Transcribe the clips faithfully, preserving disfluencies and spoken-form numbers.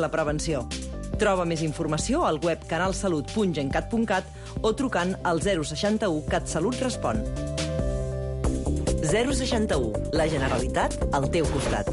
la prevenció. Troba més informació al web canalsalut punt gencat punt cat o trucant al zero seixanta-u CatSalut Respon. zero seixanta-u. La Generalitat al teu costat.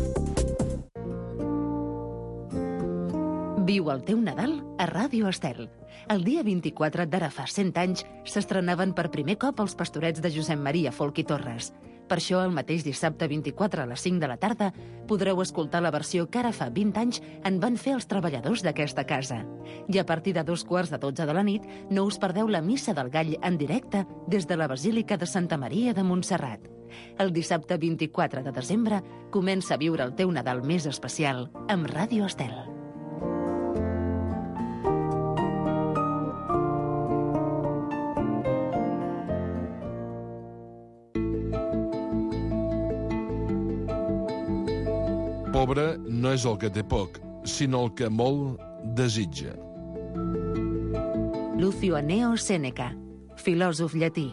Viu el teu Nadal a Ràdio Estel. El dia vint-i-quatre d'ara fa cent anys s'estrenaven per primer cop els Pastorets de Josep Maria Folch i Torres. Per això, el mateix dissabte vint-i-quatre a les cinc de la tarda podreu escoltar la versió que ara fa vint anys en van fer els treballadors d'aquesta casa. I a partir de dos quarts de dotze de la nit no us perdeu la Missa del Gall en directe des de la Basílica de Santa Maria de Montserrat. El dissabte vint-i-quatre de desembre comença a viure el teu Nadal més especial amb Ràdio Estel. Pobre no és el que té poc, sinó el que molt desitja. Lucio Anneo Sèneca, filòsof llatí.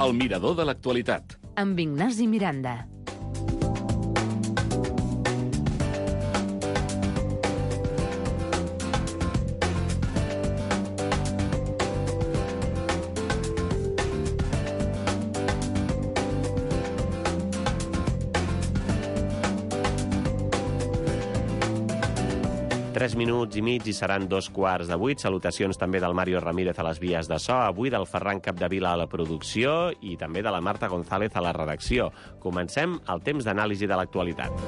El mirador de l'actualitat. Amb Ignasi Miranda. Tres minuts i mig i seran dos quarts de vuit. Salutacions també del Mario Ramírez a les vies de so, avui del Ferran Capdevila a la producció i també de la Marta González a la redacció. Comencem el temps d'anàlisi de l'actualitat.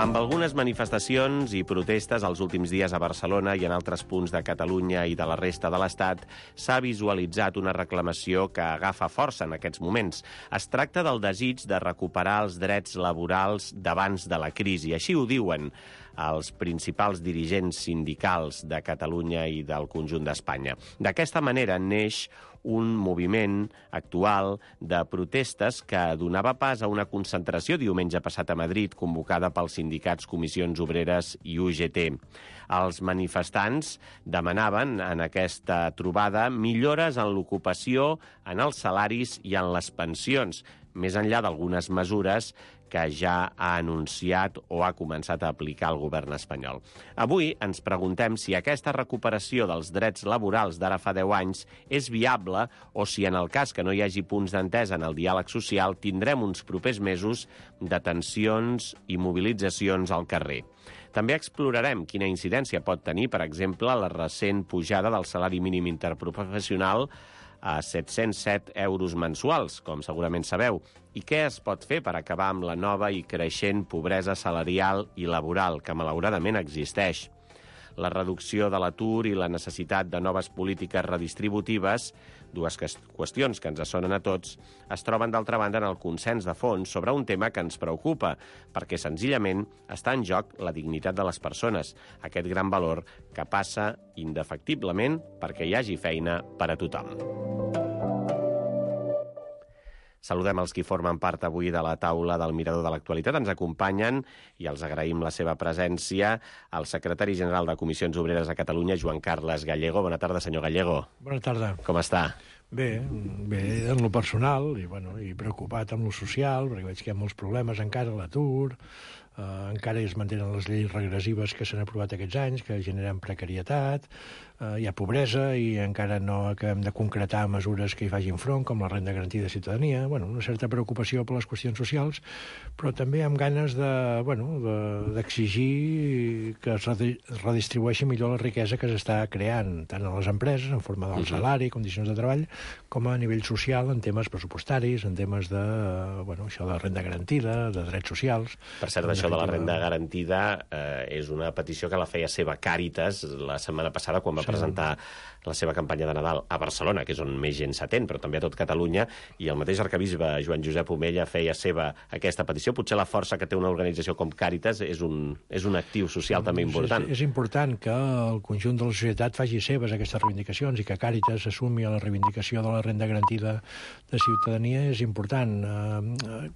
Amb algunes manifestacions i protestes els últims dies a Barcelona i en altres punts de Catalunya i de la resta de l'Estat, s'ha visualitzat una reclamació que agafa força en aquests moments. Es tracta del desig de recuperar els drets laborals d'abans de la crisi. Així ho diuen els principals dirigents sindicals de Catalunya i del conjunt d'Espanya. D'aquesta manera neix un moviment actual de protestes que donava pas a una concentració diumenge passat a Madrid convocada pels sindicats Comissions Obreres i U G T. Els manifestants demanaven en aquesta trobada millores en l'ocupació, en els salaris i en les pensions, més enllà d'algunes mesures que ja ha anunciat o ha començat a aplicar el govern espanyol. Avui ens preguntem si aquesta recuperació dels drets laborals d'ara fa deu anys és viable o si en el cas que no hi hagi punts d'entesa en el diàleg social tindrem uns propers mesos de tensions i mobilitzacions al carrer. També explorarem quina incidència pot tenir, per exemple, la recent pujada del salari mínim interprofessional a set-cents set euros mensuals, com segurament sabeu, i què es pot fer per acabar amb la nova i creixent pobresa salarial i laboral, que malauradament existeix. La reducció de l'atur i la necessitat de noves polítiques redistributives, dues qüestions que ens sonen a tots, es troben d'altra banda en el consens de fons sobre un tema que ens preocupa, perquè senzillament està en joc la dignitat de les persones, aquest gran valor que passa indefectiblement perquè hi hagi feina per a tothom. Saludem els qui formen part avui de la taula del Mirador de l'Actualitat. Ens acompanyen, i els agraïm la seva presència, el secretari general de Comissions Obreres a Catalunya, Joan Carles Gallego. Bona tarda, senyor Gallego. Bona tarda. Com està? Bé, bé en lo personal i, bueno, i preocupat en lo social, perquè veig que hi ha molts problemes encara a l'atur, eh, encara es mantenen les lleis regressives que s'han aprovat aquests anys, que generen precarietat, eh, hi ha pobresa i encara no acabem de concretar mesures que hi facin front, com la renda garantida de ciutadania, bueno, una certa preocupació per les qüestions socials, però també amb ganes de, bueno, de, d'exigir que es redistribueixi millor la riquesa que s'està creant, tant a les empreses, en forma del salari, condicions de treball, com a nivell social, en temes pressupostaris, en temes de, bueno, això de renda garantida, de drets socials. Per cert, això de la renda garantida eh, és una petició que la feia seva Càritas la setmana passada quan va presentar la seva campanya de Nadal a Barcelona, que és on més gent s'atén, però també a tot Catalunya, i el mateix arquebisbe Joan Josep Omella feia seva aquesta petició. Potser la força que té una organització com Càritas és un, és un actiu social també important. És, és important que el conjunt de la societat faci seves aquestes reivindicacions i que Càritas assumi la reivindicació de la renda garantida de ciutadania és important.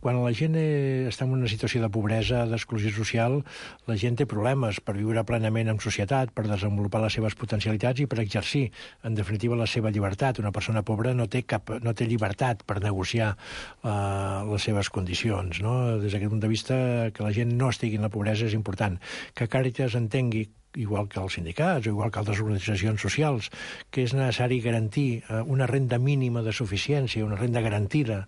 Quan la gent està en una situació de pobresa, d'exclusió social, la gent té problemes per viure plenament en societat, per desenvolupar les seves potencialitats i per exercir, en definitiva, la seva llibertat. Una persona pobra no té, cap, no té llibertat per negociar uh, les seves condicions. No? Des d'aquest punt de vista, que la gent no estigui en la pobresa és important. Que Càritas entengui, igual que els sindicats o igual que altres organitzacions socials, que és necessari garantir eh, una renda mínima de suficiència, una renda garantida,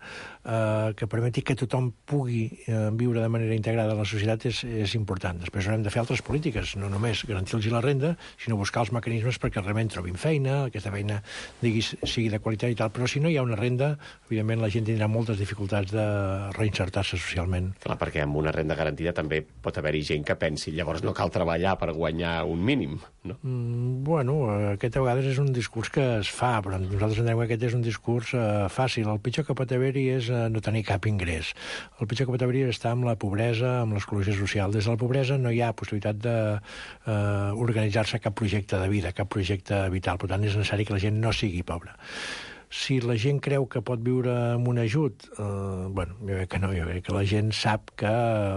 eh, que permeti que tothom pugui eh, viure de manera integrada a la societat és, és important. Després haurem de fer altres polítiques, no només garantir-los la renda, sinó buscar els mecanismes perquè realment trobin feina, aquesta feina digui, sigui de qualitat i tal, però si no hi ha una renda, evidentment la gent tindrà moltes dificultats de reinsertar-se socialment. Clar, perquè amb una renda garantida també pot haver-hi gent que pensi llavors no cal treballar per guanyar un mínim, no? Mm, bueno, aquest a vegades és un discurs que es fa, però nosaltres entenem que aquest és un discurs eh, fàcil. El pitjor que pot haver-hi és eh, no tenir cap ingrés. El pitjor que pot haver-hi és estar amb la pobresa, amb l'exclusió social. Des de la pobresa no hi ha possibilitat d'organitzar-se eh, cap projecte de vida, cap projecte vital. Per tant, és necessari que la gent no sigui pobra. Si la gent creu que pot viure amb un ajut, eh, bueno, jo crec que no, jo crec que la gent sap que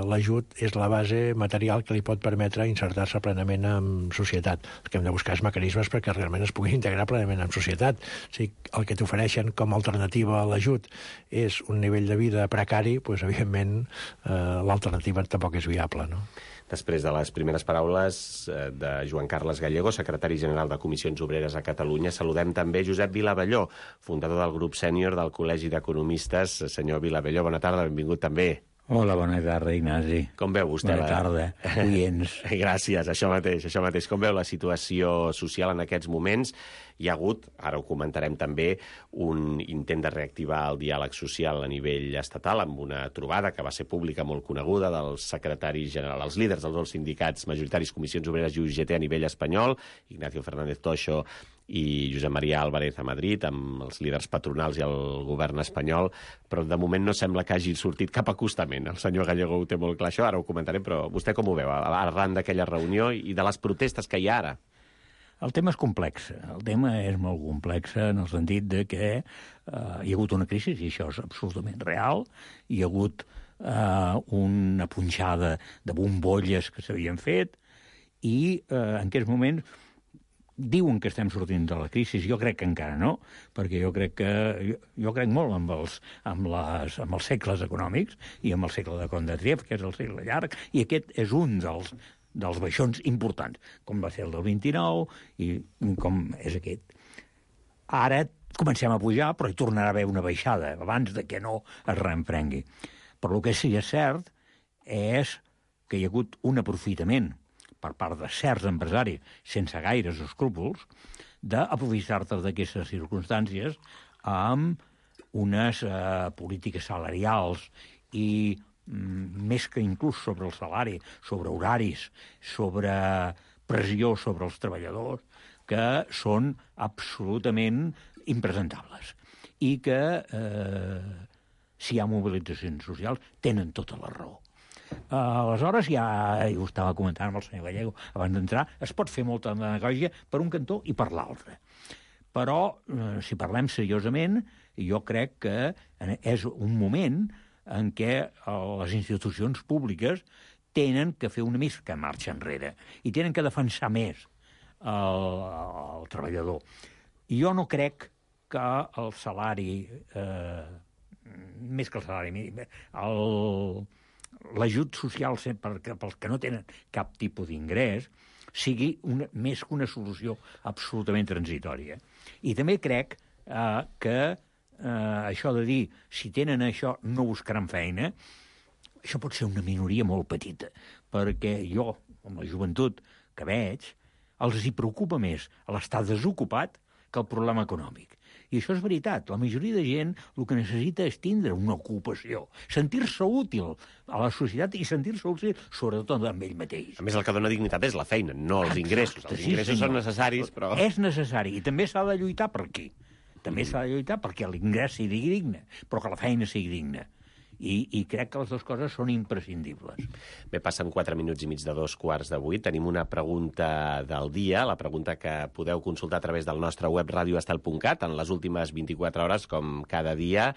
l'ajut és la base material que li pot permetre insertar-se plenament en societat. El que hem de buscar és mecanismes perquè realment es pugui integrar plenament en societat. O sigui, el que t'ofereixen com a alternativa a l'ajut és un nivell de vida precari, doncs, evidentment, eh, l'alternativa tampoc és viable, no? Després de les primeres paraules de Joan Carles Gallego, secretari general de Comissions Obreres a Catalunya, saludem també Josep Vilabelló, fundador del grup sènior del Col·legi d'Economistes. Senyor Vilabelló, bona tarda, benvingut també. Hola, bona tarda, Ignasi. Com veu vostè? Bona tarda, oients. Gràcies, això mateix, això mateix. Com veu la situació social en aquests moments? Hi ha hagut, ara ho comentarem també, un intent de reactivar el diàleg social a nivell estatal amb una trobada que va ser pública molt coneguda dels secretaris generals, els líders dels dos sindicats majoritaris, Comissions Obreres i U G T a nivell espanyol, Ignacio Fernández Toixo i Josep Maria Álvarez a Madrid, amb els líders patronals i el govern espanyol, però de moment no sembla que hagi sortit cap acostament. El senyor Gallego ho té molt clar, això, ara ho comentarem, però vostè com ho veu, arran d'aquella reunió i de les protestes que hi ha ara? El tema és complex. El tema és molt complex en el sentit de que eh, hi ha hagut una crisi, i això és absolutament real, hi ha hagut eh, una punxada de bombolles que s'havien fet, i eh, en aquests moments diuen que estem sortint de la crisi. Jo crec que encara no, perquè jo crec que jo, jo crec molt amb els, amb, les, amb els segles econòmics i amb el segle de Kondratiev, que és el segle llarg, i aquest és un dels, dels baixons importants, com va ser el del vint-i-nou i com és aquest. Ara comencem a pujar, però hi tornarà a haver una baixada abans de que no es reenprengui. Però el que sí que és cert és que hi ha hagut un aprofitament per part de certs empresaris, sense gaires escrúpols, d'aprofitar-te d'aquestes circumstàncies amb unes eh, polítiques salarials i mm, més que inclús sobre el salari, sobre horaris, sobre pressió sobre els treballadors, que són absolutament impresentables. I que, eh, si hi ha mobilitzacions socials, tenen tota la raó. Uh, aleshores, ja, ja ho estava comentant amb el senyor Gallego abans d'entrar, es pot fer molta demagògia per un cantó i per l'altre. Però, uh, si parlem seriosament, jo crec que és un moment en què uh, les institucions públiques tenen que fer una mica marxa enrere i tenen que defensar més el, el treballador. I jo no crec que el salari, eh, més que el salari mínim, el... l'ajut social pels que no tenen cap tipus d'ingrés sigui una, més que una solució absolutament transitòria. I també crec eh, que eh, això de dir si tenen això no buscaran feina, això pot ser una minoria molt petita, perquè jo, amb la joventut que veig, els hi preocupa més l'estar desocupat que el problema econòmic. I això és veritat. La majoria de gent el que necessita és tindre una ocupació, sentir-se útil a la societat i sentir-se útil sobretot amb ell mateix. A més, el que dona dignitat és la feina, no els ingressos. Els ingressos són necessaris, però... És necessari, i també s'ha de lluitar per aquí. També s'ha de lluitar perquè l'ingrés sigui digne, però que la feina sigui digna. I, i crec que les dues coses són imprescindibles. Bé, passen quatre minuts i mig de dos quarts de vuit. Tenim una pregunta del dia, la pregunta que podeu consultar a través del nostre web radio estel punt cat en les últimes vint-i-quatre hores, com cada dia.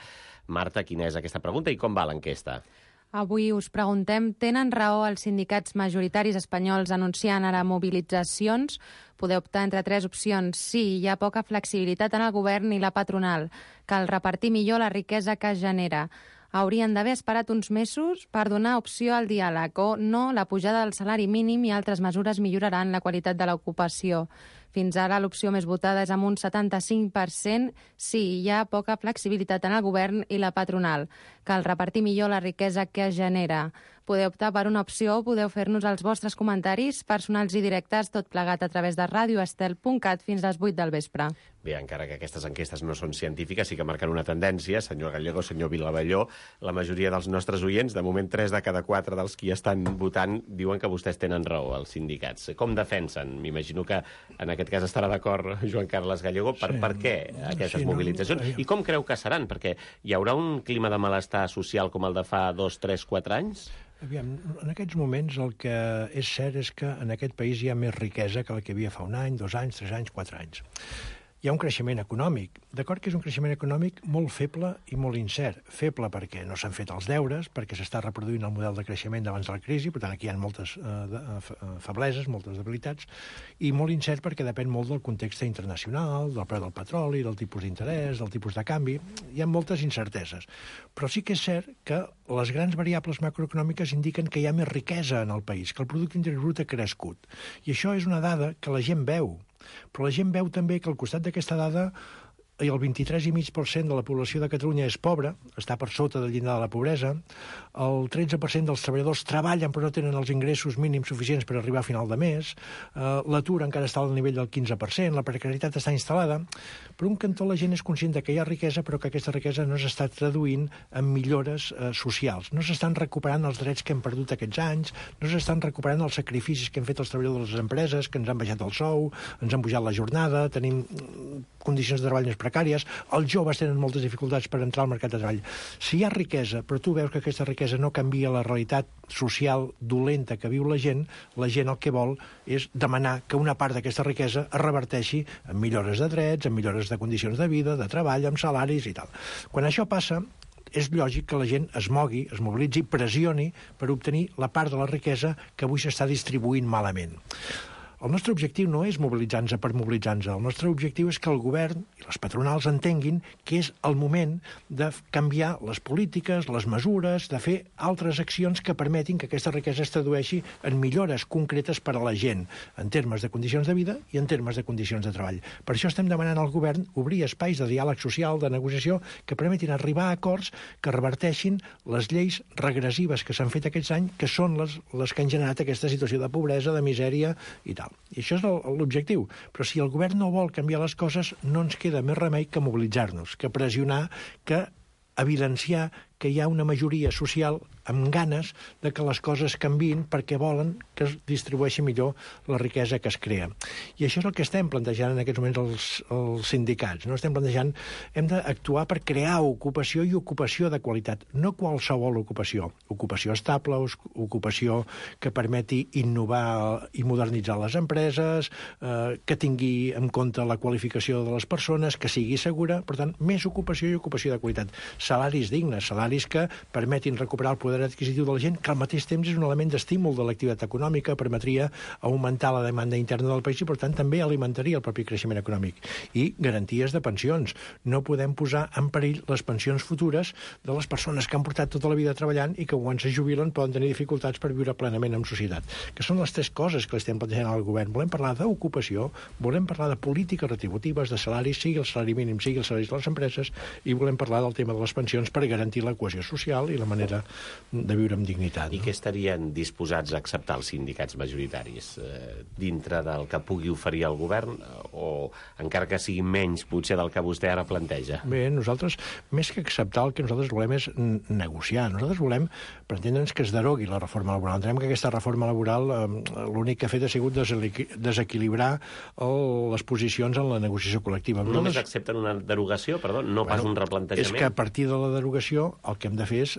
Marta, quina és aquesta pregunta i com va l'enquesta? Avui us preguntem, tenen raó els sindicats majoritaris espanyols anunciant ara mobilitzacions? Podeu optar entre tres opcions. Sí, hi ha poca flexibilitat en el govern i la patronal. Cal repartir millor la riquesa que es genera. Haurien d'haver esperat uns mesos per donar opció al diàleg, o no, la pujada del salari mínim i altres mesures milloraran la qualitat de l'ocupació. Fins ara l'opció més votada és amb un setanta-cinc per cent. Sí, hi ha poca flexibilitat en el govern i la patronal. Cal repartir millor la riquesa que es genera. Podeu optar per una opció o podeu fer-nos els vostres comentaris personals i directes, tot plegat a través de radio estel punt cat fins a les vuit del vespre. Bé, encara que aquestes enquestes no són científiques, sí que marquen una tendència. Senyor Gallego, senyor Vilavelló, la majoria dels nostres oients, de moment tres de cada quatre dels qui estan votant, diuen que vostès tenen raó, els sindicats. Com defensen? M'imagino que en aquest cas estarà d'acord Joan Carles Gallego. Per, sí, per què aquestes sí, mobilitzacions? No, I com creu que seran? Perquè hi haurà un clima de malestar social com el de fa dos, tres, quatre anys? Aviam, en aquests moments el que és cert és que en aquest país hi ha més riquesa que la que hi havia fa un any, dos anys, tres anys, quatre anys. Hi ha un creixement econòmic. D'acord que és un creixement econòmic molt feble i molt incert. Feble perquè no s'han fet els deures, perquè s'està reproduint el model de creixement d'abans de la crisi, per tant aquí hi ha moltes eh, de, eh, febleses, moltes debilitats, i molt incert perquè depèn molt del context internacional, del preu del petroli, del tipus d'interès, del tipus de canvi. Hi ha moltes incerteses. Però sí que és cert que les grans variables macroeconòmiques indiquen que hi ha més riquesa en el país, que el producte interior brut ha crescut. I això és una dada que la gent veu. Però la gent veu també que al costat d'aquesta dada el vint-i-tres coma cinc per cent de la població de Catalunya és pobra, està per sota del llindar de la pobresa, el tretze per cent dels treballadors treballen però no tenen els ingressos mínims suficients per arribar a final de mes, eh, l'atur encara està al nivell del quinze per cent, la precarietat està instal·lada. Per un cantó la gent és conscient que hi ha riquesa, però que aquesta riquesa no s'està traduint en millores eh, socials. No s'estan recuperant els drets que hem perdut aquests anys, no s'estan recuperant els sacrificis que han fet els treballadors de les empreses, que ens han baixat el sou, ens han pujat la jornada, tenim condicions de treball més precàries, els joves tenen moltes dificultats per entrar al mercat de treball. Si hi ha riquesa, però tu veus que aquesta riquesa no canvia la realitat social dolenta que viu la gent, la gent el que vol és demanar que una part d'aquesta riquesa es reverteixi en millores de drets, en millores de condicions de vida, de treball, amb salaris i tal. Quan això passa, és lògic que la gent es mogui, es mobilitzi, pressioni per obtenir la part de la riquesa que avui s'està distribuint malament. El nostre objectiu no és mobilitzar-nos per mobilitzar-nos. El nostre objectiu és que el govern i les patronals entenguin que és el moment de canviar les polítiques, les mesures, de fer altres accions que permetin que aquesta riquesa es tradueixi en millores concretes per a la gent, en termes de condicions de vida i en termes de condicions de treball. Per això estem demanant al govern obrir espais de diàleg social, de negociació, que permetin arribar a acords que reverteixin les lleis regressives que s'han fet aquests anys, que són les, les que han generat aquesta situació de pobresa, de misèria i tal. I això és l'objectiu. Però si el govern no vol canviar les coses, no ens queda més remei que mobilitzar-nos, que pressionar, que evidenciar que hi ha una majoria social amb ganes de que les coses canviïn perquè volen que es distribueixi millor la riquesa que es crea. I això és el que estem plantejant en aquests moments els, els sindicats. No? Estem plantejant, hem d'actuar per crear ocupació i ocupació de qualitat, no qualsevol ocupació. Ocupació estable, ocupació que permeti innovar i modernitzar les empreses, eh, que tingui en compte la qualificació de les persones, que sigui segura, per tant, més ocupació i ocupació de qualitat. Salaris dignes, salaris que permetin recuperar el poder adquisitiu de la gent, que al mateix temps és un element d'estímul de l'activitat econòmica, permetria augmentar la demanda interna del país i, per tant, també alimentaria el propi creixement econòmic. I garanties de pensions. No podem posar en perill les pensions futures de les persones que han portat tota la vida treballant i que quan se jubilen poden tenir dificultats per viure plenament en societat. Que són les tres coses que estem plantejant al govern. Volem parlar d'ocupació, volem parlar de polítiques retributives, de salaris, sigui el salari mínim, sigui els salaris de les empreses, i volem parlar del tema de les pensions per garantir la cohesió social i la manera de viure amb dignitat. I no? què estarien disposats a acceptar els sindicats majoritaris? Eh, dintre del que pugui oferir el govern o encara que sigui menys potser del que vostè ara planteja? Bé, nosaltres, més que acceptar, el que nosaltres volem és negociar. Nosaltres volem, per entendre'ns, que es derogui la reforma laboral. Entenem que aquesta reforma laboral eh, l'únic que ha fet ha sigut desequilibrar el, les posicions en la negociació col·lectiva. Només Nosaltres... accepten una derogació, perdó, no pas un replantejament? És que a partir de la derogació el que hem de fer és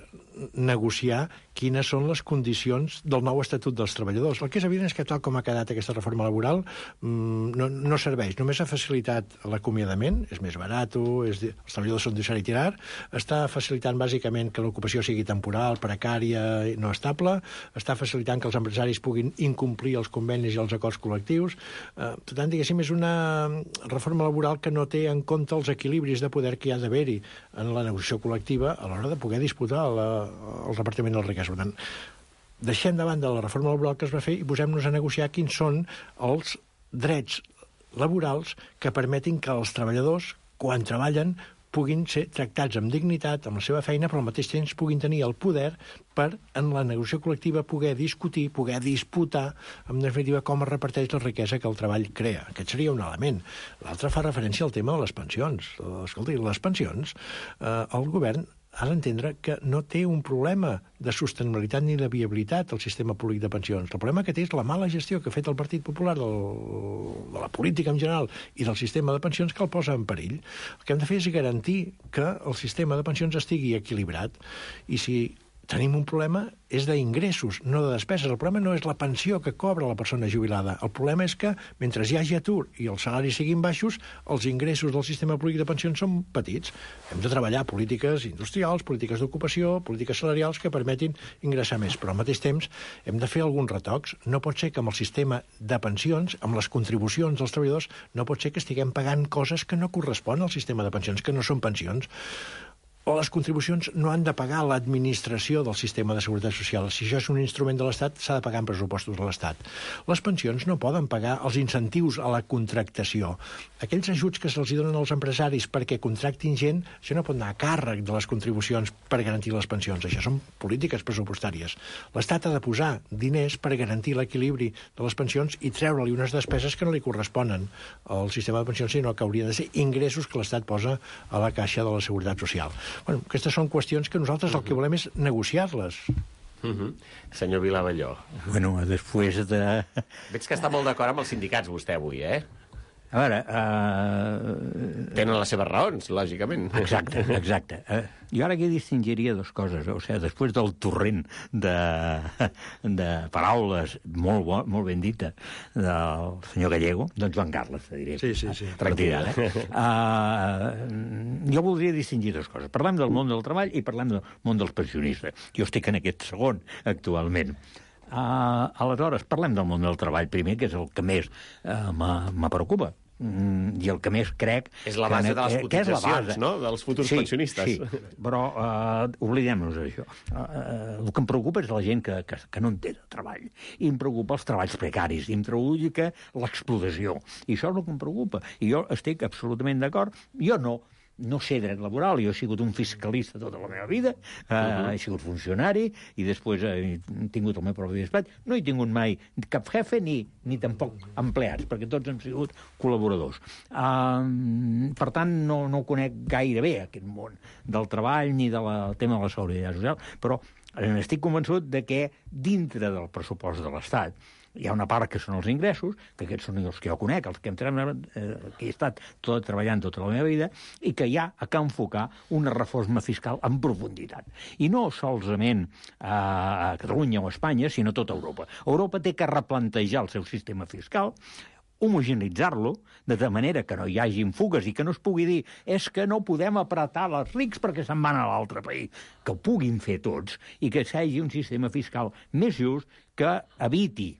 negociar quines són les condicions del nou Estatut dels Treballadors. El que és evident és que tal com ha quedat aquesta reforma laboral no, no serveix. Només ha facilitat l'acomiadament, és més barat, és, els treballadors són deixar i tirar, està facilitant bàsicament que l'ocupació sigui temporal, precària, no estable, està facilitant que els empresaris puguin incomplir els convenis i els acords col·lectius. Eh, per tant, diguéssim, és una reforma laboral que no té en compte els equilibris de poder que hi ha d'haver-hi en la negociació col·lectiva a l'hora de poder disputar la, el repartiment del riquesa. Per tant, deixem davant de la reforma laboral que es va fer i posem-nos a negociar quins són els drets laborals que permetin que els treballadors, quan treballen, puguin ser tractats amb dignitat, amb la seva feina, però al mateix temps puguin tenir el poder per, en la negociació col·lectiva, poder discutir, poder disputar, en definitiva, com es reparteix la riquesa que el treball crea. Aquest seria un element. L'altre fa referència al tema de les pensions. Escolta, les pensions, eh, el govern ha d'entendre que no té un problema de sostenibilitat ni de viabilitat al sistema públic de pensions. El problema que té és la mala gestió que ha fet el Partit Popular del, de la política en general i del sistema de pensions que el posa en perill. El que hem de fer és garantir que el sistema de pensions estigui equilibrat i si tenim un problema és d'ingressos, no de despeses. El problema no és la pensió que cobra la persona jubilada. El problema és que, mentre hi hagi atur i els salaris siguin baixos, els ingressos del sistema públic de pensions són petits. Hem de treballar polítiques industrials, polítiques d'ocupació, polítiques salarials que permetin ingressar més. Però al mateix temps hem de fer alguns retocs. No pot ser que amb el sistema de pensions, amb les contribucions dels treballadors, no pot ser que estiguem pagant coses que no corresponen al sistema de pensions, que no són pensions. O les contribucions no han de pagar l'administració del sistema de seguretat social. Si això és un instrument de l'Estat, s'ha de pagar en pressupostos de l'Estat. Les pensions no poden pagar els incentius a la contractació. Aquells ajuts que se'ls donen als empresaris perquè contractin gent, això no pot anar a càrrec de les contribucions per garantir les pensions. Això són polítiques pressupostàries. L'Estat ha de posar diners per garantir l'equilibri de les pensions i treure-li unes despeses que no li corresponen al sistema de pensions, sinó que haurien de ser ingressos que l'Estat posa a la caixa de la seguretat social. Bueno, aquestes són qüestions que nosaltres el que volem és negociar-les. Uh-huh. Senyor Vilavalló. Bueno, després de... Veig que està molt d'acord amb els sindicats, vostè, avui, eh? A veure... Uh... Tenen les seves raons, lògicament. Exacte, exacte. Uh, jo ara aquí distingiria dues coses. O sigui, després del torrent de, de paraules molt, bo, molt ben dita del senyor Gallego, doncs Joan Carles, te diré. Sí, sí, sí. Tranquil·la, eh? Uh, jo voldria distingir dues coses. Parlem del món del treball i parlem del món dels pensionistes. Jo estic en aquest segon, actualment. Uh, aleshores, parlem del món del treball primer, que és el que més uh, me preocupa. Mm, i el que més crec... És la base que, de les cotitzacions, no?, dels futurs sí, pensionistes. Sí, però uh, oblidem-nos d'això. Uh, el que em preocupa és la gent que, que, que no en té de treball. I em preocupa els treballs precaris, i em preocupa l'explotació. I això és el que em preocupa. I jo estic absolutament d'acord. Jo no. No sé dret laboral, jo he sigut un fiscalista tota la meva vida, eh, uh-huh. he sigut funcionari i després he tingut el meu propi despatx. No he tingut mai cap jefe ni, ni tampoc empleats, perquè tots hem sigut col·laboradors. Uh, per tant, no, no conec gaire bé aquest món del treball ni del de tema de la seguretat social, però estic convençut de que dintre del pressupost de l'Estat hi ha una part que són els ingressos, que aquests són els que jo conec, els que, entrem, eh, que he estat tot, treballant tota la meva vida, i que hi ha que enfocar una reforma fiscal en profunditat. I no solament a Catalunya o a Espanya, sinó a tota Europa. Europa té que replantejar el seu sistema fiscal, homogeneitzar-lo, de manera que no hi hagi fugues i que no es pugui dir és que no podem apretar els rics perquè se'n van a l'altre país. Que ho puguin fer tots i que s'hagi un sistema fiscal més just que eviti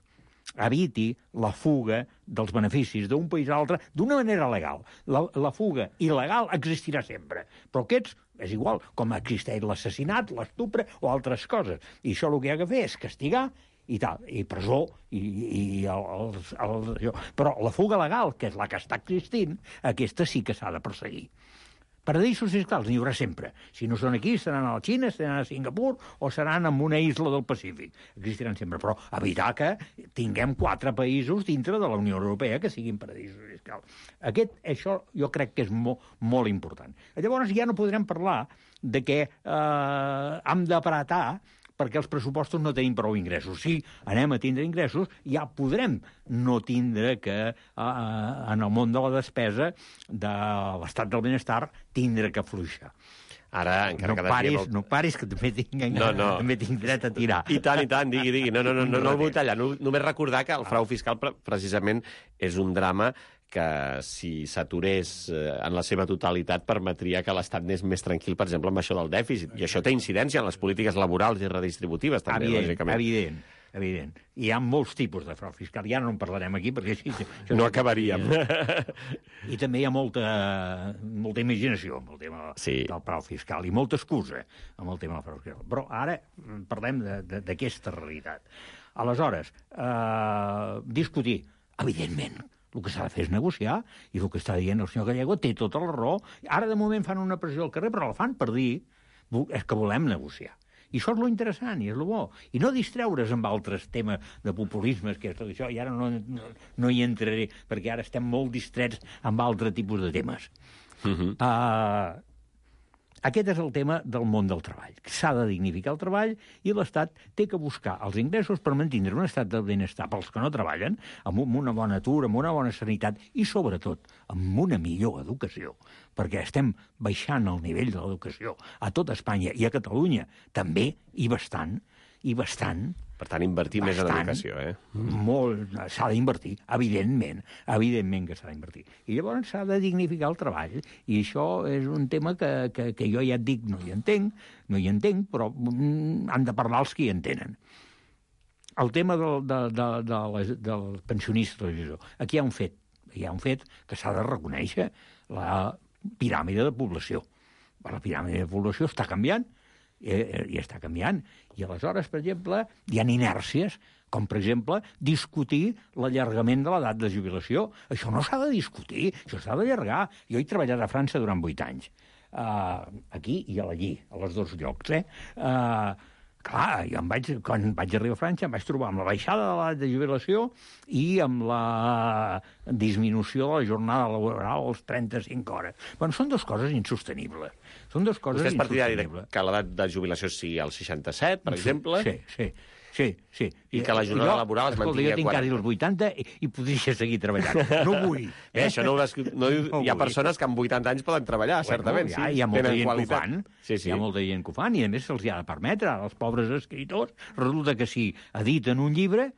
eviti la fuga dels beneficis d'un país a l'altre d'una manera legal. La, la fuga il·legal existirà sempre, però aquests és igual, com existeix l'assassinat, l'estupre o altres coses. I això el que hi ha que fer és castigar i tal, i presó, i, i el, el, el, el, però la fuga legal, que és la que està existint, aquesta sí que s'ha de perseguir. Paradisos fiscals n'hi haurà sempre. Si no són aquí, seran a la Xina, seran a Singapur o seran en una isla del Pacífic. Existiran sempre, però evitar que tinguem quatre països dintre de la Unió Europea que siguin paradisos fiscals. Aquest, això jo crec que és molt, molt important. Llavors ja no podrem parlar de que eh, hem d'apretar perquè els pressupostos no tenim prou ingressos. Si anem a tindre ingressos, ja podrem no tindre que, eh, en el món de la despesa, de l'estat del benestar, tindre que afluixar. Ara, encara no cada paris, dia... Vol... No paris, que també tinc, no, no. també tinc dret a tirar. I tant, i tant, digui, digui. No, no, no, no, no el vull tallar. No, només recordar que el frau fiscal precisament és un drama que si s'aturés en la seva totalitat permetria que l'Estat anés més tranquil, per exemple, amb això del dèficit. I això té incidència en les polítiques laborals i redistributives, també, evident, lògicament. Evident, evident. Hi ha molts tipus de frau fiscal. Ja no en parlarem aquí, perquè així... No acabaríem. I també hi ha molta, molta imaginació amb el tema sí. del frau fiscal, i molta excusa amb el tema del frau fiscal. Però ara parlem d'aquesta realitat. Aleshores, eh, discutir, evidentment, el que s'ha de fer és negociar, i el que està dient el senyor Gallego té tota la raó. Ara, de moment, fan una pressió al carrer, però la fan per dir és que volem negociar. I això és lo interessant, i és lo bo. I no distreure's amb altres temes de populismes, que és tot això, i ara no, no, no hi entraré, perquè ara estem molt distrets amb altre tipus de temes. Uh-huh. Uh, aquest és el tema del món del treball. S'ha de dignificar el treball i l'Estat té que buscar els ingressos per mantenir un estat del benestar pels que no treballen, amb una bona atur, amb una bona sanitat i, sobretot, amb una millor educació, perquè estem baixant el nivell de l'educació a tot Espanya i a Catalunya també, i bastant, i bastant... Per tant, invertir bastant, més en educació, eh? Molt, s'ha d'invertir, evidentment, evidentment que s'ha d'invertir. I llavors s'ha de dignificar el treball, i això és un tema que, que, que jo ja et dic, no hi entenc, no hi entenc, però mm, han de parlar els que hi entenen. El tema del, de, de, de, de, del pensionista, aquí hi ha un fet, hi ha un fet que s'ha de reconèixer, la piràmide de població. La piràmide de població està canviant, i està canviant. I aleshores, per exemple, hi ha inèrcies, com, per exemple, discutir l'allargament de l'edat de jubilació. Això no s'ha de discutir, això s'ha d'allargar. Jo he treballat a França durant vuit anys, uh, aquí i allí, a les dos llocs. Eh? Uh, clar, jo em vaig, quan vaig arribar a França em vaig trobar amb la baixada de l'edat de jubilació i amb la disminució de la jornada laboral als trenta-cinc hores. Bueno, són dues coses insostenibles. Són dues coses insostenibles. Vostè és partidari insostenibles. Que l'edat de jubilació sigui als seixanta-set, per exemple? Sí, sí. Sí, sí. I que la jornada jo, laboral es mantingui a quaranta. Jo tinc quasi els vuitanta i, i podria seguir treballant. No vull. Eh? Bé, això no, no, no hi ha persones que amb vuitanta anys poden treballar, bueno, certament. Ja, sí, hi ha molta gent qualitat. que ho fan. Sí, sí. Hi ha molta gent que ho fan i, a més, se'ls ha de permetre. Als pobres escriptors resulta que si editen un llibre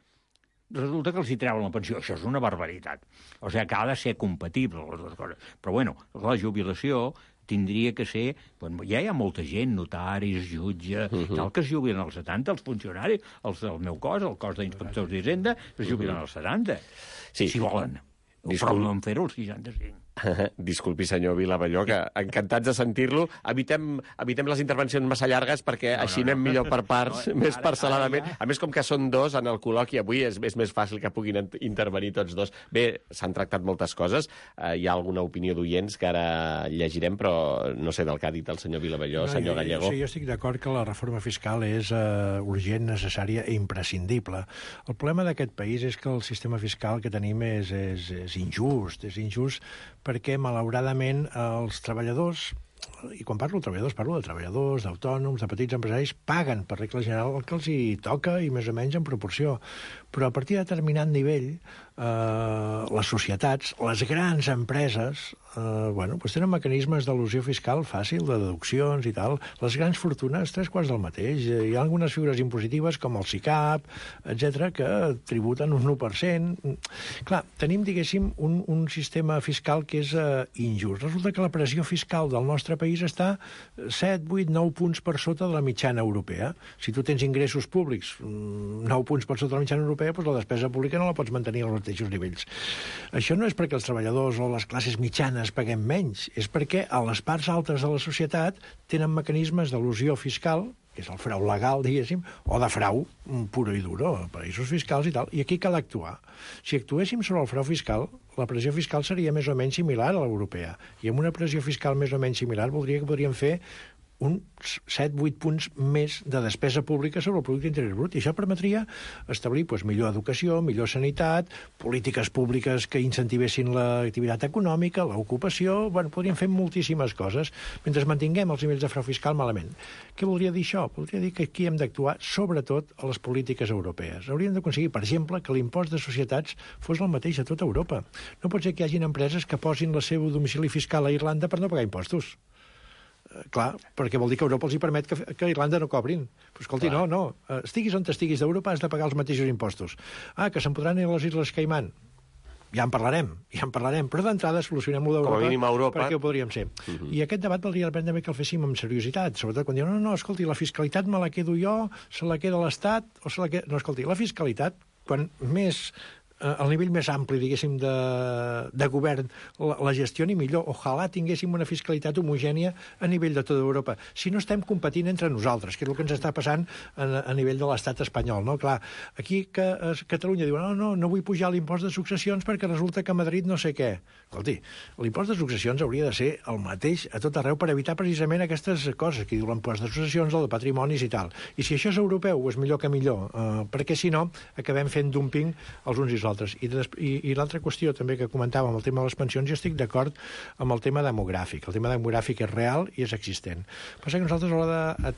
resulta que els hi treuen la pensió. Això és una barbaritat. O sigui, que ha de ser compatible, les dues coses. Però, bueno, la jubilació tindria que ser... Bueno, ja hi ha molta gent, notaris, jutges, uh -huh. tal, que es jubilen als setanta, els funcionaris, els del meu cos, el cos d'inspectors d'Hisenda, es jubilen uh -huh. als setanta, sí. si volen. Discul... Però no en fer-ho als seixanta-cinc. Disculpi, senyor Vilavelló, que encantats de sentir-lo. Evitem, evitem les intervencions massa llargues perquè no, així no, no. anem millor per parts, no, més ara, parcel·ladament. Ara ja... A més, com que són dos en el col·loqui avui, és, és més fàcil que puguin intervenir tots dos. Bé, s'han tractat moltes coses. Uh, hi ha alguna opinió d'oients que ara llegirem, però no sé del que ha dit el senyor Vilavelló, no, senyor jo, Gallego. Sí, jo estic d'acord que la reforma fiscal és uh, urgent, necessària i imprescindible. El problema d'aquest país és que el sistema fiscal que tenim és, és, és injust, és injust perquè, malauradament, els treballadors, i quan parlo de treballadors, parlo de treballadors, d'autònoms, de petits empresaris, paguen, per regla general, el que els hi toca i més o menys en proporció. Però a partir de determinat nivell, eh, les societats, les grans empreses, eh, bueno, doncs tenen mecanismes d'elusió fiscal fàcil, de deduccions i tal. Les grans fortunes, tres quarts del mateix. Hi ha algunes figures impositives, com el SICAP, etcètera, que tributen un u per cent. Clar, tenim, diguéssim, un, un sistema fiscal que és eh, injust. Resulta que la pressió fiscal del nostre país està set, vuit, nou punts per sota de la mitjana europea. Si tu tens ingressos públics nou punts per sota de la mitjana europea, doncs la despesa pública no la pots mantenir al mateixos nivells. Això no és perquè els treballadors o les classes mitjanes paguem menys, és perquè a les parts altes de la societat tenen mecanismes d'elusió fiscal, que és el frau legal, diguéssim, o de frau puro i duro, paraïsos fiscals i tal, i aquí cal actuar. Si actuéssim sobre el frau fiscal, la pressió fiscal seria més o menys similar a l'europea, i amb una pressió fiscal més o menys similar voldria que podríem fer uns set vuit punts més de despesa pública sobre el producte interior brut. I això permetria establir doncs, millor educació, millor sanitat, polítiques públiques que incentivessin l'activitat econòmica, l'ocupació... Bueno, podríem fer moltíssimes coses mentre mantinguem els nivells de frau fiscal malament. Què voldria dir això? Voldria dir que aquí hem d'actuar sobretot a les polítiques europees. Hauríem d'aconseguir, per exemple, que l'impost de societats fos el mateix a tota Europa. No pot ser que hi hagin empreses que posin el seu domicili fiscal a Irlanda per no pagar impostos. Clar, perquè vol dir que Europa els hi permet que, que Irlanda no cobrin. Però escolti, Clar. no, no. Estiguis on estiguis d'Europa has de pagar els mateixos impostos. Ah, que se'n podran ir a les Illes Caimán. Ja en parlarem, ja en parlarem. Però d'entrada solucionem-ho d'Europa. Com a mínim a Europa. Perquè ho podríem ser. Uh -huh. I aquest debat valdria la pena també que el féssim amb seriositat. Sobretot quan diuen, no, no, escolti, la fiscalitat me la quedo jo, se la queda l'Estat, o se la queda... No, escolti, la fiscalitat, quan més... al nivell més ampli, diguéssim, de, de govern, la, la gestioni millor. Ojalà tinguéssim una fiscalitat homogènia a nivell de tota Europa. Si no estem competint entre nosaltres, que és el que ens està passant a, a nivell de l'estat espanyol, no? Clar, aquí que a Catalunya diuen no, no, no vull pujar l'impost de successions perquè resulta que a Madrid no sé què. Escolti, l'impost de successions hauria de ser el mateix a tot arreu per evitar precisament aquestes coses que diu l'impost de successions, el de patrimonis i tal. I si això és europeu, és millor que millor, eh, perquè si no, acabem fent dumping els uns i els altres. I, i, i l'altra qüestió també que comentàvem, el tema de les pensions, jo estic d'acord amb el tema demogràfic. El tema demogràfic és real i és existent. Passa que nosaltres a l'hora de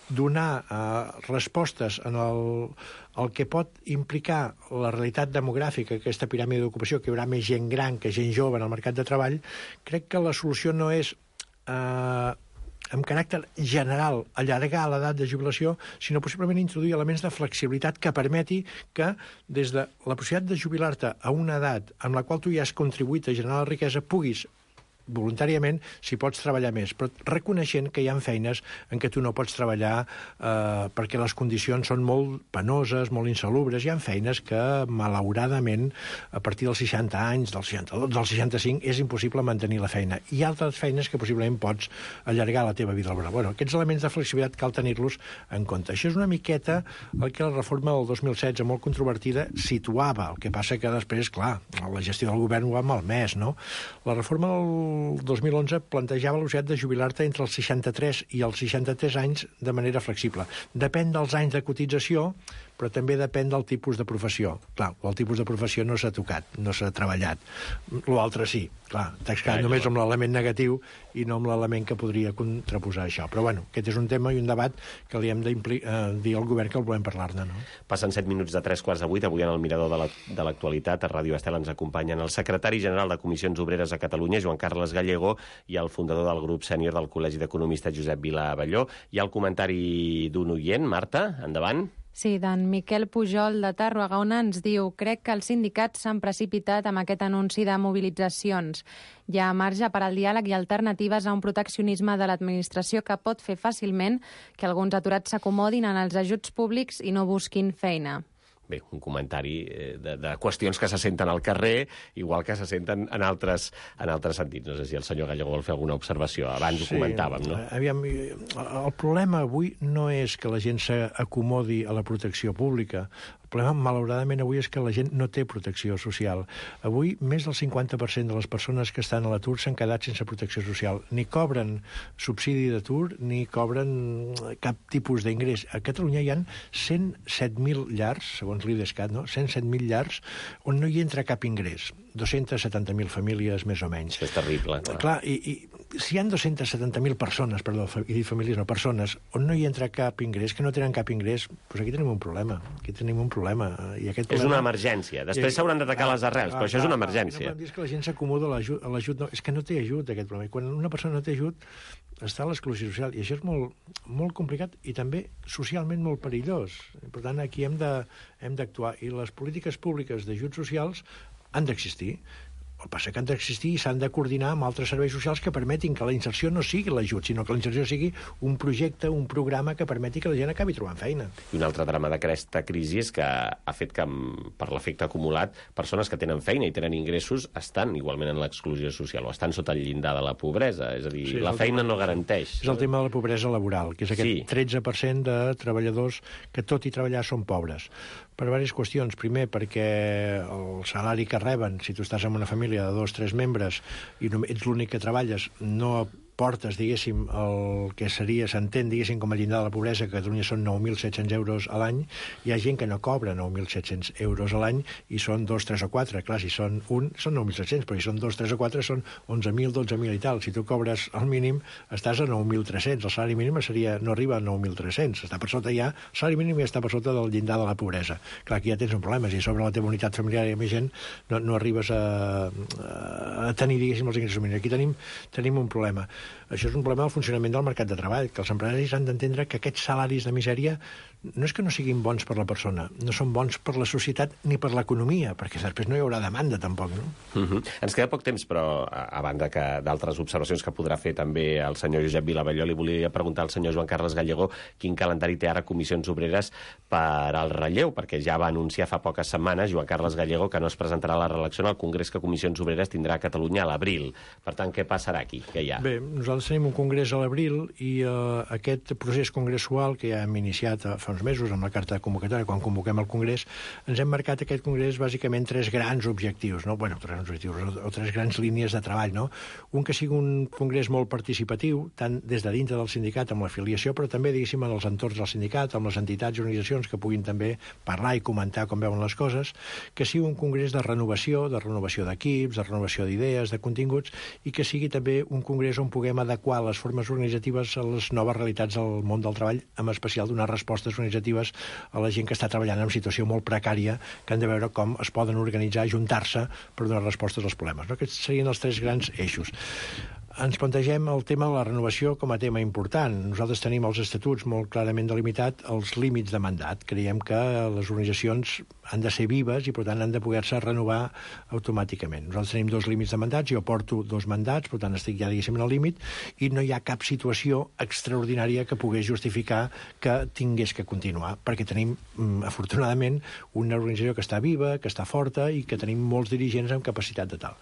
donar eh, respostes en el, el que pot implicar la realitat demogràfica, aquesta piràmide d'ocupació, que hi haurà més gent gran que gent jove en el mercat de treball, crec que la solució no és... Eh, amb caràcter general, allargar l'edat de jubilació, sinó possiblement introduir elements de flexibilitat que permeti que, des de la possibilitat de jubilar-te a una edat en la qual tu ja has contribuït a generar la riquesa, puguis voluntàriament si pots treballar més, però reconeixent que hi ha feines en què tu no pots treballar eh, perquè les condicions són molt penoses, molt insalubres. Hi ha feines que, malauradament, a partir dels seixanta anys, dels seixanta-dos, dels seixanta-cinc, és impossible mantenir la feina. Hi ha altres feines que possiblement pots allargar la teva vida laboral. Bueno, aquests elements de flexibilitat cal tenir-los en compte. Això és una miqueta el que la reforma del dos mil setze, molt controvertida, situava. El que passa que després, clar, la gestió del govern ho ha malmès, no? La reforma del dos mil onze plantejava la possibilitat de jubilar-te entre els seixanta-tres i els seixanta-tres anys de manera flexible. Depèn dels anys de cotització, però també depèn del tipus de professió. Clar, el tipus de professió no s'ha tocat, no s'ha treballat. L'altre sí, clar, t'has quedat només amb l'element negatiu i no amb l'element que podria contraposar això. Però bueno, aquest és un tema i un debat que li hem de eh, dir al govern que el volem parlar-ne, no? Passen set minuts de tres quarts de vuit, avui en el Mirador de l'actualitat, a Ràdio Estel ens acompanyen el secretari general de Comissions Obreres a Catalunya, Joan Carles Gallego, i el fundador del grup sènior del Col·legi d'Economistes, Josep Vila Abelló. Hi ha el comentari d'un oient, Marta, endavant. Sí, d'en Miquel Pujol de Tarragona ens diu: crec que els sindicats s'han precipitat amb aquest anunci de mobilitzacions. Hi ha marge per al diàleg i alternatives a un proteccionisme de l'administració que pot fer fàcilment que alguns aturats s'acomodin en els ajuts públics i no busquin feina. Bé, un comentari de, de qüestions que se senten al carrer, igual que se senten en altres, en altres sentits. No sé si el senyor Gallego vol fer alguna observació. Abans sí, ho comentàvem, no? Aviam, el problema avui no és que la gent s'acomodi a la protecció pública. El problema, malauradament, avui és que la gent no té protecció social. Avui, més del cinquanta per cent de les persones que estan a l'atur s'han quedat sense protecció social. Ni cobren subsidi d'atur, ni cobren cap tipus d'ingrés. A Catalunya hi ha cent set mil llars, segons l'IDESCAT, no? cent set mil llars on no hi entra cap ingrés. dos-centes setanta mil famílies, més o menys. Això és terrible. Clar, clar i, i si hi ha dos-centes setanta mil persones, perdó, i famílies no persones, on no hi entra cap ingrés, que no tenen cap ingrés, doncs aquí tenim un problema. Aquí tenim un problema. I aquest problema... És una emergència. Després s'hauran d'atacar les arrels, ah, però això és una emergència. No podem dir que la gent s'acomoda a l'ajut. No, és que no té ajut, aquest problema. I quan una persona no té ajut, està a l'exclusió social. I això és molt, molt complicat i també socialment molt perillós. Per tant, aquí hem de, hem d'actuar. I les polítiques públiques d'ajuts socials han d'existir. El que passa que han d'existir i s'han de coordinar amb altres serveis socials que permetin que la inserció no sigui l'ajut, sinó que la inserció sigui un projecte, un programa que permeti que la gent acabi trobant feina. I un altre drama d'aquesta crisi és que ha fet que, per l'efecte acumulat, persones que tenen feina i tenen ingressos estan igualment en l'exclusió social o estan sota el llindar de la pobresa. És a dir, sí, la feina tema, no garanteix. És el tema de la pobresa laboral, que és aquest sí. tretze per cent de treballadors que tot i treballar són pobres. Per diverses qüestions. Primer, perquè el salari que reben, si tu estàs en una família de dos o tres membres i ets l'únic que treballes, no portes, diguéssim, el que seria, s'entén, diguéssim, com a llindar de la pobresa, que a Catalunya són nou mil set-cents euros a l'any. Hi ha gent que no cobra nou mil set-cents euros a l'any i són dos, tres o quatre. Clar, si són un, són nou mil set-cents, però si són dos, tres o quatre són onze mil, dotze mil i tal. Si tu cobres el mínim, estàs a nou mil tres-cents. El salari mínim seria, no arriba a nou mil tres-cents. Està per sota ja, el salari mínim ja està per sota del llindar de la pobresa. Clar, aquí ja tens un problema. Si sobre la teva unitat familiar hi ha més gent, no, no arribes a, a tenir, diguéssim, els ingressos mínims. Aquí tenim, tenim un problema. Això és un problema del funcionament del mercat de treball, que els empresaris han d'entendre que aquests salaris de misèria no és que no siguin bons per la persona, no són bons per la societat ni per l'economia, perquè després no hi haurà demanda tampoc, no? Uh-huh. Ens queda poc temps, però a, a banda que d'altres observacions que podrà fer també el senyor Josep Vilavelló, li volia preguntar al senyor Joan Carles Gallego quin calendari té ara Comissions Obreres per al relleu, perquè ja va anunciar fa poques setmanes Joan Carles Gallego que no es presentarà a la reelecció en el Congrés que Comissions Obreres tindrà a Catalunya a l'abril. Per tant, què passarà aquí? Què hi ha? Bé, nosaltres tenim un congrés a l'abril i uh, aquest procés congressual que ja hem iniciat uh, fa uns mesos amb la carta de convocatòria, quan convoquem el congrés, ens hem marcat aquest congrés bàsicament tres grans objectius, no? Bueno, tres grans objectius, o, o tres grans línies de treball, no? Un que sigui un congrés molt participatiu, tant des de dintre del sindicat amb l'afiliació, però també, diguéssim, en els entorns del sindicat, amb les entitats i organitzacions que puguin també parlar i comentar com veuen les coses, que sigui un congrés de renovació, de renovació d'equips, de renovació d'idees, de continguts, i que sigui també un congrés on puguem adequar les formes organitzatives a les noves realitats del món del treball, en especial donar respostes organitzatives a la gent que està treballant en situació molt precària, que han de veure com es poden organitzar, ajuntar-se per donar respostes als problemes. No? Aquests serien els tres grans eixos. Ens plantegem el tema de la renovació com a tema important. Nosaltres tenim els estatuts molt clarament delimitat els límits de mandat. Creiem que les organitzacions han de ser vives i, per tant, han de poder-se renovar automàticament. Nosaltres tenim dos límits de mandats, jo porto dos mandats, per tant, estic ja, diguéssim, en el límit, i no hi ha cap situació extraordinària que pogués justificar que tingués que continuar, perquè tenim, afortunadament, una organització que està viva, que està forta i que tenim molts dirigents amb capacitat de tal.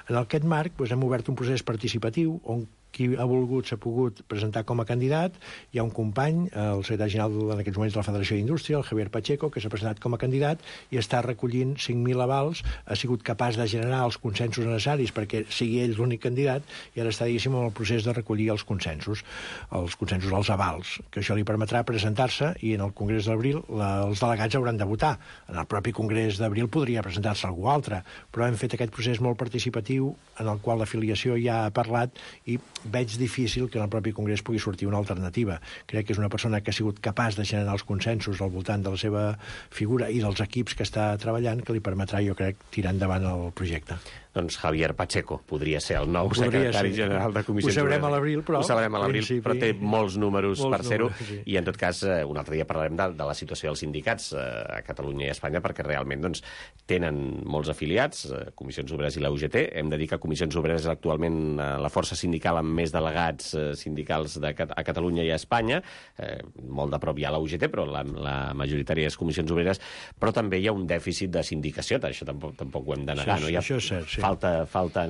En aquest marc, doncs, hem obert un procés participatiu on qui ha volgut s'ha pogut presentar com a candidat. Hi ha un company, el secretari general en aquests moments de la Federació d'Indústria, el Javier Pacheco, que s'ha presentat com a candidat i està recollint cinc mil avals, ha sigut capaç de generar els consensos necessaris perquè sigui ell l'únic candidat i ara està, diguéssim, en el procés de recollir els consensos, els consensos, els avals, que això li permetrà presentar-se i en el Congrés d'abril la, els delegats hauran de votar. En el propi Congrés d'abril podria presentar-se algú altre, però hem fet aquest procés molt participatiu en el qual l'afiliació ja ha parlat i veig difícil que en el propi Congrés pugui sortir una alternativa. Crec que és una persona que ha sigut capaç de generar els consensos al voltant de la seva figura i dels equips que està treballant, que li permetrà, jo crec, tirar endavant el projecte. Doncs Javier Pacheco podria ser el nou podria secretari ser. general de Comissions Obreres. Ho sabrem a l'abril, però... Ho sabrem a l'abril, però té molts números molts per ser-ho. Sí. I, en tot cas, un altre dia parlarem de, de la situació dels sindicats a Catalunya i a Espanya, perquè realment doncs, tenen molts afiliats, Comissions Obreres i la U G T. Hem de dir que Comissions Obreres és actualment la força sindical amb més delegats sindicals de, a Catalunya i a Espanya. Eh, molt de prop hi ha la U G T, però la, la majoritària és Comissions Obreres. Però també hi ha un dèficit de sindicació, això tampoc, tampoc ho hem de negar. Això, no? Hi ha, això és cert, sí. Falta, falta,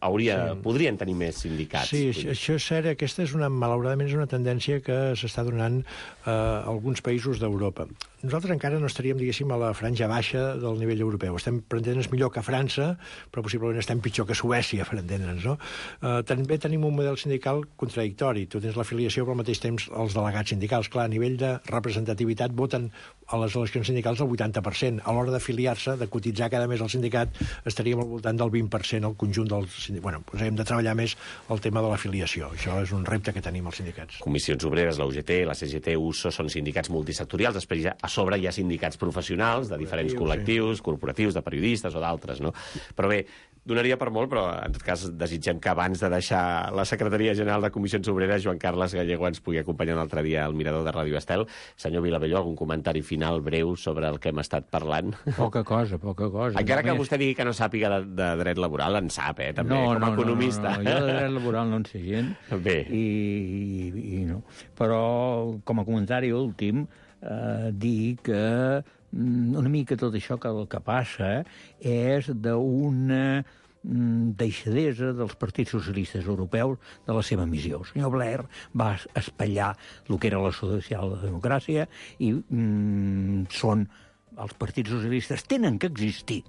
hauria, sí. Podrien tenir més sindicats. Sí, això, això és cert. Aquesta és una, malauradament, és una tendència que s'està donant a eh, alguns països d'Europa. Nosaltres encara no estaríem, diguéssim, a la franja baixa del nivell europeu. Estem, per entendre'ns, millor que França, però possiblement estem pitjor que Suècia, per entendre'ns, no? Eh, també tenim un model sindical contradictori. Tu tens l'afiliació, però al mateix temps els delegats sindicals. Clar, a nivell de representativitat voten a les eleccions sindicals el vuitanta per cent. A l'hora d'afiliar-se, de cotitzar cada mes al sindicat, estaríem al voltant del vint per cent al conjunt dels sindicats. Bueno, doncs hem de treballar més el tema de l'afiliació. Això és un repte que tenim als sindicats. Comissions Obreres, la U G T, la C G T, U S O, són sindicats multisectorials. Després ja, a sobre hi ha sindicats professionals de diferents col·lectius, sí. corporatius, de periodistes o d'altres, no? Però bé, Donaria per molt, però en tot cas desitgem que abans de deixar la Secretaria General de Comissions Obreres, Joan Carles Gallego ens pugui acompanyar un altre dia al mirador de Ràdio Estel. Senyor Vilabelló, algun comentari final breu sobre el que hem estat parlant? Poca cosa, poca cosa. Encara que Només... vostè digui que no sàpiga de, de dret laboral, en sap, eh, també, no, com a no, economista. No, no, no, jo de dret laboral no en sé gent. Bé. I, i, i no. Però, com a comentari últim, eh, dir que una mica tot això que el que passa és d'una deixadesa dels partits socialistes europeus de la seva missió. El senyor Blair va espatllar el que era la socialdemocràcia i mm, són els partits socialistes tenen que existir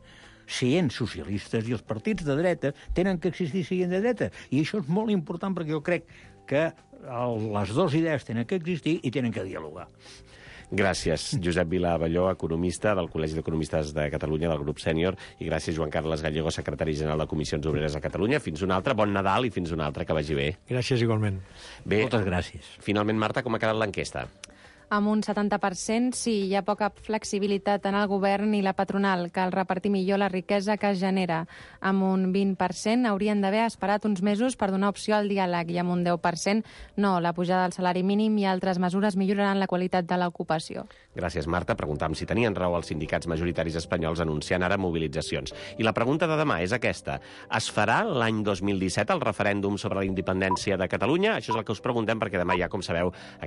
sent socialistes i els partits de dreta tenen que existir sent de dreta. I això és molt important perquè jo crec que el, les dues idees tenen que existir i tenen que dialogar. Gràcies, Josep Vilabelló, economista del Col·legi d'Economistes de Catalunya, del grup sènior, i gràcies, Joan Carles Gallego, secretari general de Comissions Obreres a Catalunya. Fins un altre, bon Nadal i fins un altre, que vagi bé. Gràcies, igualment. Bé, moltes gràcies. Finalment, Marta, com ha quedat l'enquesta? Amb un setanta per cent, sí, hi ha poca flexibilitat en el govern i la patronal, cal repartir millor la riquesa que es genera. Amb un vint per cent haurien d'haver esperat uns mesos per donar opció al diàleg i amb un deu per cent no, la pujada del salari mínim i altres mesures milloraran la qualitat de l'ocupació. Gràcies, Marta. Preguntàvem si tenien raó els sindicats majoritaris espanyols anunciant ara mobilitzacions. I la pregunta de demà és aquesta. Es farà l'any dos mil disset el referèndum sobre la independència de Catalunya? Això és el que us preguntem perquè demà hi ha, com sabeu,